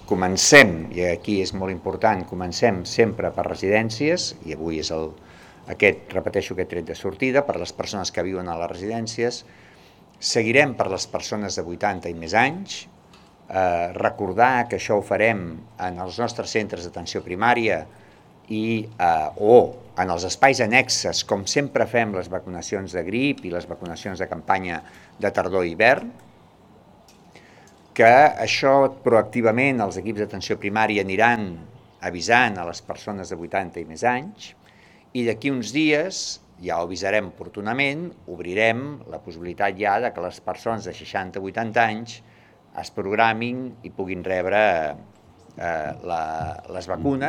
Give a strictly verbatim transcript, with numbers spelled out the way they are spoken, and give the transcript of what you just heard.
comencem, i aquí és molt important, comencem sempre per residències, i avui és el, aquest, repeteixo, aquest tret de sortida, per les persones que viuen a les residències, seguirem per les persones de vuitanta i més anys, eh, recordar que això ho farem en els nostres centres d'atenció primària i, eh, o en els espais annexes, com sempre fem les vacunacions de grip i les vacunacions de campanya de tardor i hivern, que això proactivament els equips d'atenció primària aniran avisant a les persones de vuitanta i més anys, i d'aquí uns dies, ja ho avisarem oportunament, obrirem la possibilitat ja de que les persones de seixanta a vuitanta anys es programin i puguin rebre eh, la, les vacunes